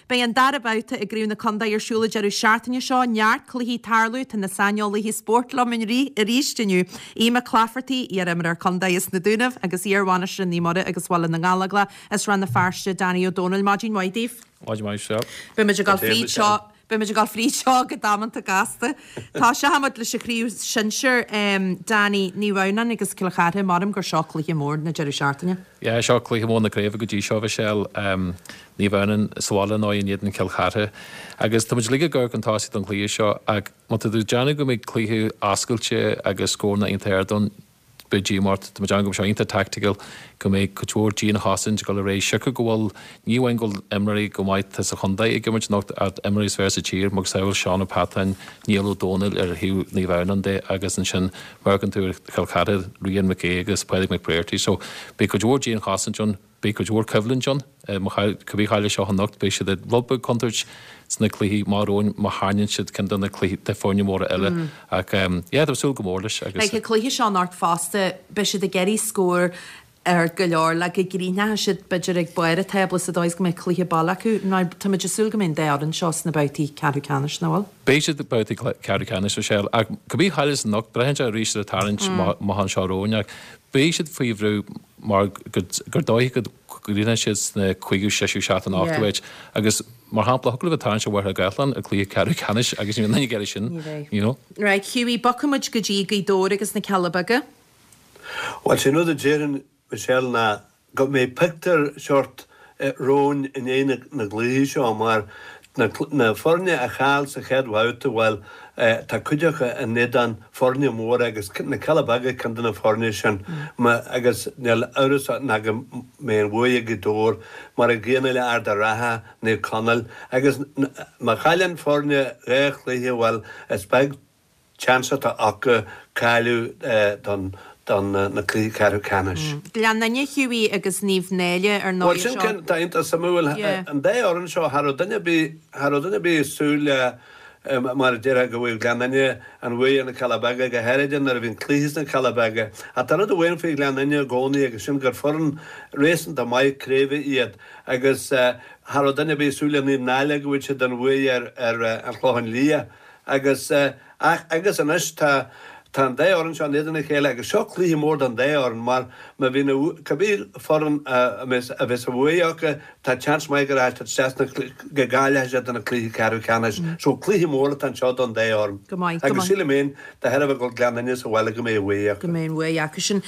Beidh an dara babhta i gCraobh na Condae ar siúl an deireadh seachtaine seo. Neart cluichí ag tarlú. Tá na saineolaithe spóirt liom arís inniu. Aodh Mac Laifeartaigh, iar-imreoir condae as na Dúnaibh agus iar-bhainisteoir Naomh Muire agus Bhaile na nGallóglach as Rann na Feirste, Danny Ó Dónaill. Maidin mhaith daoibh. Maidin mhaith, Michelle. Beidh muid ag dul fríd seo. Beidh muid ag dul fríd seo go damanta gasta. Tosóidh muid leis an chraobh shinsir, Danny, Naomh Adhamhnáin agus Cill Chartha. Maram gur seo cluiche mór na deireadh seachtaine. Yeah, seo cluiche mór na craoibhe go dtí seo, Michelle. Naomh Adhamhnáin sa bhaile nó in éadan Chill Chartha. Agus tá muid uilig ag amharc chun tosaigh don chluiche seo ach má tá tú ag déanamh go mbeidh cluiche oscailte agus scóranna iontach ard ann, beidh díomá ort. Tá muid ag déanamh go mbeidh sé iontach tactical, go mbeidh cuid mhór dianchosaint ag dul ar aghaidh. Siocair go bhfuil, ní amháin go bhfuil imreoirí go maith atá sa chontae ag imirt anocht ach imreoirí is fearr sa tír, macasamhail Seán Ó Peatáin, Niall Ó Dónaill ar thaobh Naomh Adhamhnáin de agus ansin má amharcann tú ar Chill Chartha, Rian Mac Aodha agus Pádraig McBrearty. So beidh cuid mhór dianchosaint ann. Beidh cuid mhór coimhlint ann. Cibé a chaillfidh seo anocht, beidh siad i rud beag contúirt sna cluichí amach romhainn má tharraingíonn siad ceann de na cluichí de foirne móra eile. Ach yeah, tá súil go mór leis agus. Beidh an cluiche seo anocht fosta, beidh siad ag iarraidh scór ard go leor le go gcríochnóidh siad b'fhéidir ag barr an tábla sa dóigh is go mbeidh cluiche baile acu. Now táimid ag súil go mbeidh an dá fhoireann seo sna babhtaí ceathrú ceannais, nach bhfuil? Beidh siad babhtaí ceathrú ceannais, Michelle, ach cibé a chailleas anocht, braitheann sé arís ar an tarraingt amach anseo romhainn ach beidh siad faoi bhrú mar gur dóiche go gcríochnóidh siad sna cúigiú, seisiú, seachtú nó ochtú háit agus mar shampla thiocfadh leo bheith ag tarraingt ar Mhachaire Gathlán i gcluiche ceathrú ceannais agus ní bheidh duine ag iarraidh sin, you know. Right, Hughie, bogfaidh muid go dtí Gaoth Dobhair agus na Cealla Beaga. Bhuel, sin rud a déarfainn, Michelle, ná go mbeidh pictiúr seort romhainn i ndiaidh na gcluichí seo mar na foirne a chaill sa chéad bhabhta, bhuel, tá cuid acu in éadan foirne móra agus na Cealla Beaga ceann de na foirne sin agus níl amhras ná go mbeidh an bhuaidh ag Gaoth Dobhair mar an gcéanna le Ard a' Rátha, Naomh Conaill agus má chailleann foirne 2 chluiche, bhuel, is beag seans atá acu cáiliú don don na cluichí ceathrú ceannais. Gleann Fhinne, Hughie agus Naomh Náille ar ndóigh Bhuel sin ceann atá iontach suimiúil. An dá fhoireann seo, cha raibh duine ar bith, cha raibh duine ar bith ag súil le mar a déarfá go bhfaigheadh Gleann Fhinne an bhuaidh ar na Cealla Beaga, go háirithe nuair a bhí an cluiche sna Cealla Beaga. Ach tá rud amháin faoi Ghleann Fhinne i gcónaí agus sin gur foireann réasúnta maith craoibhe iad agus cha raibh duine ar bith ag súil le Naomh Náille go bhfaigheadh siad an bhuaidh ar ar an Chlochán Liath. Agus, ach, agus anois tá, tá an dá fhoireann seo in éadan a chéile agus seo cluiche mór don dá fhoireann mar má bhíonn a, cibé foireann a mbeas, a bheas an bhuaidh acu, tá seans maith go rachaidh siad isteach sna, go gcáileoidh siad do na cluichí ceathrú ceannais. So cluiche mór atá anseo don dá fhoireann. Go maith, go Agus maith. sílim féin, de thairbhe go bhfuil Gleann Fhinne sa bhaile go mbeidh an bhuaidh acu. Go mbeidh an bhuaidh acu sin.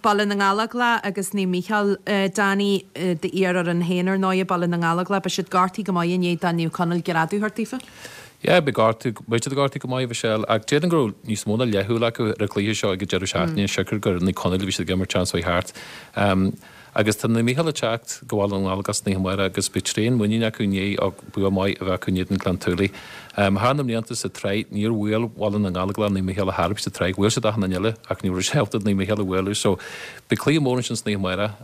Baile na nGallóglach agus Naomh Mícheál, Danny, d'iar-fhoireann féin ar ndóigh, Baile na nGallóglach, beidh siad gortaithe go maith i ndiaidh do Naomh Conaill greadadh a thabhairt daofa. Yeah, beidh gortú, beidh siad gortaithe go maith, Michelle, ach déarfainn go raibh níos mó ná leathshúil acu ar an chluiche seo ag an deireadh seachtaine, siocair gur Naomh Conaill a bhí siad ag imirt an tseachtain seo thart. Agus tá Naomh Mícheál ag teacht go Baile na nGallóglach san oíche amárach agus beidh tréan muiníne acu i ndiaidh bua maith a bheith acu in éadan Gleann tSúilí. Thar na mblianta sa tsraith, níor bhuail Baile na nGallóglach Naomh Mícheál ar chor ar bith sa tsraith, bhuail siad achan duine eile ach ní raibh siad ábalta Naomh Mícheál a bhualadh. So, beidh cluiche mór ansin san oíche amárach.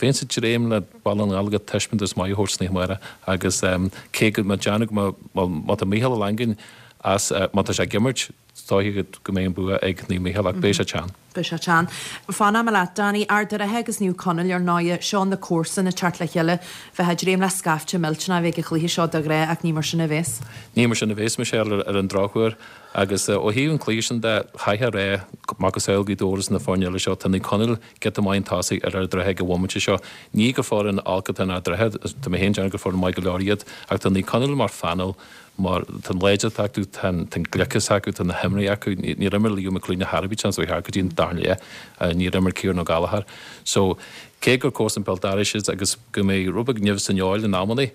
Bheinnse ag dréim le. Baile na nGallóglach taispeántas maith a thabhairt san oíche amárach agus cé go mbeadh déanamh go mbeadh, má tá Mícheál Ó Langáin as, má tá sé ag imirt, is dóiche go mbeidh an bua ag Naomh Mícheál ach beidh sé teann. Beidh sé teann. Fanfaidh mé leat, Danny. Ard a' Rátha agus Naomh Conaill, ar ndóighe, seo na comharsana ag teacht le chéile. Bheifeá ag dréim le scaifte millteanach a bheith ag an chluiche seo de ghnáth ach ní mar sin a bhéas. Ní mar sin a bhéas, Michelle, ar an drochuair. Agus ó thaobh an chluiche sin de, chaithfeá a rá, macasamhail Gaoth Dobhair is na foirne eile seo, tá Naomh Conaill giota maith chun tosaigh ar Ard an Rátha ag an bhomaite seo. Ní gur foireann olc atá in Ard an Rátha, tá mé féin ag déanamh gur foireann maith go leor iad, ach tá Naomh Conaill mar phainéal, mar tá an láidreacht acu, tá an gliceas acu, tá na himreoirí acu. Níor imir Leo McLoone ar chor ar bith an tseachtain seo thart go dtí an darna leath, níor imir Kieran O'Gallagher. So, cé gur comharsan béal dorais iad agus go mbeidh rud beag nimh san fheoil in amannaí,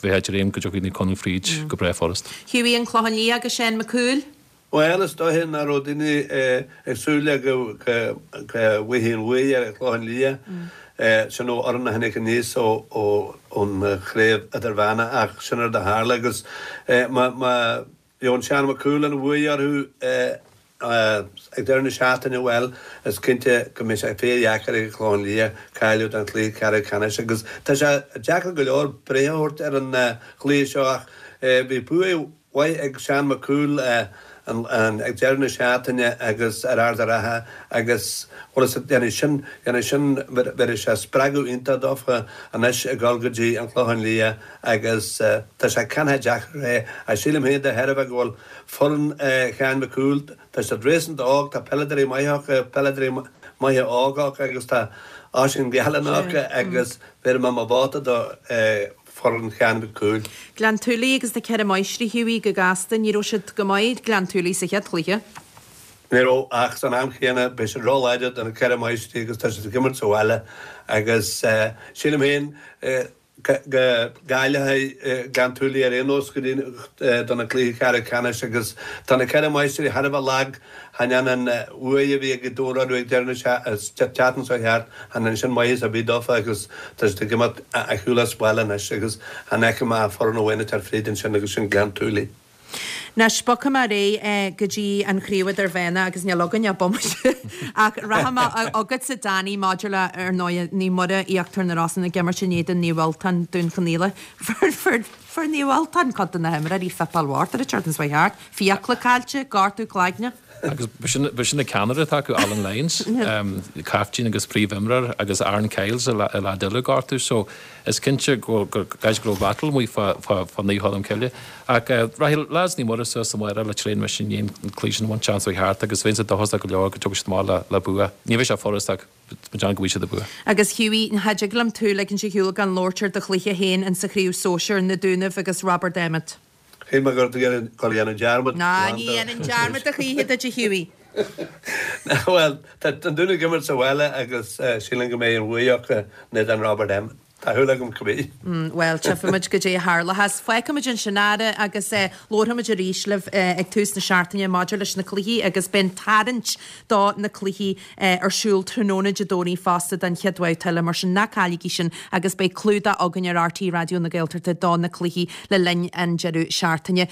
bheifeá ag dréim go dtiocfaidh Naomh Conaill fríd go breá furast. Hughie, An Clochán Liath agus Seán Mac Cumhaill. Bhuel, is dóiche nach raibh daoine ag súil le go bhfaighfí an bhuaidh ar an Chlochán Liath, sin an fhoireann a tháinig aníos ón chraobh idirmheánach ach sin rud a tharla agus má gheobhann Seán Mac Cumhaill an bhuaidh orthu ag deireadh na seachtaine, bhuel, is cinnte go mbeidh sé fíordheacair ag an Chlochán Liath cáiliú don chluiche ceathrú ceannais agus tá sé deacair go leor breith a thabhairt ar an chluiche seo ach bhí bua. mhaith ag Seán Mac Cumhaill ag deireadh na seachtaine agus ar Ard a' Rátha agus bhuel is déanfaidh sin, déanfaidh sin, bhéarfaidh sé spreagadh iontach dófa anois ag dul go dtí an Clochán Liath agus tá sé cineál deacair é ach sílim féin de thairbhe go bhfuil foireann Sheáin Mhic Cumhaill, tá siad réasúnta óg, tá peileadóirí maithe acu, peileadóirí maithe óga acu agus tá Oisín Gallen acu agus bhéarfaidh mé mo vóta do foireann Sheáin Mhic Cumhaill. Gleann tSúilí agus na Ceithre Máistrí, Hughie, go gasta, ní raibh siad go maith, Gleann tSúilí, sa chéad chluiche. Ní raibh, ach san am chéanna beidh siad ró-láidir do na Ceithre Máistrí agus tá siad ag imirt sa bhaile agus sílim féin go gcáileoidh Gleann tSúilí ar aon nós go dtí do na cluichí ceathrú ceannais agus tá na Ceithre Máistrí thar a bheith lag Chan ionann an bhuaidh a bhí ag Gaoth Dobhair orthu ag deireadh na seachtaine seo thart, chan ionann sin maitheas ar bith dófa agus tá siad ag imeacht ar shiúl as baile anois agus chan fheicim ach foireann amháin ag teacht fríd ansin agus sin Gleann tSúilí. Anois, bogfaidh mé ar aghaidh go dtí an chraobh idirmheánach agus níl againn ach bomaite ach rachaidh mé chugatsa Danny maidir le, ar ndóigh, Naomh Muire, Íochtar na Rosann ag imirt in éadan Naomh Ultan, Dún Chonaill. Fuair Naomh Ultan cuid de na himreoirí fuipeáil mhór an tseachtain seo thart. Fiacla caillte, gortú cloigne. Agus b'shin an ceannaire atá acu, Alan Lyons, caiftín agus príomhimreoir, agus Aaron Kyles, an leaid eile gortú. So is cinnte go gcaithfidh go raibh battle amuigh fá Naomh Cholm Cille. Ach rachaidh lads Naomh Muire suas amárach le traein mise i ndiaidh an cluiche sin a bhaint an tseachtain seo thart agus bheinnse dóchasach go leor go dtiocfaidh siad amach le bua. Ní bheidh sé furast ach tá mé ag déanamh go bhfaighidh siad an bua. Agus Hughie, cha dtig liom tú ligint ar shiúl gan labhairt ar do chluiche féin in sa chraobh sóisear, Na Dúnaibh agus Roibeard Emmet. Shíl mé go raibh tú ag dul a dhéanamh dearmad. Ná, ní dhéanfainn dearmad a choíche duit a Hughie. Bhuel, tá an Dún ag imirt sa bhaile agus sílim go mbeidh an bhuaidh acu in éadan Roibeard Emmet. Tá shúil agam cibé. Bhuel, tchífimid goidé a tharlóchas. Fágfaimid ansin é agus labharfaimid arís libh ag tús na seachtaine maidir leis na cluichí agus beidh an tarraingt do na cluichí ar siúl tráthnóna Dé Domhnaigh fosta don chéad bhabhta eile, mar sin ná cailligí sin agus beidh clúdach againn ar RTÉ Raidió na Gaeltachta do na cluichí le linn an deireadh seachtaine.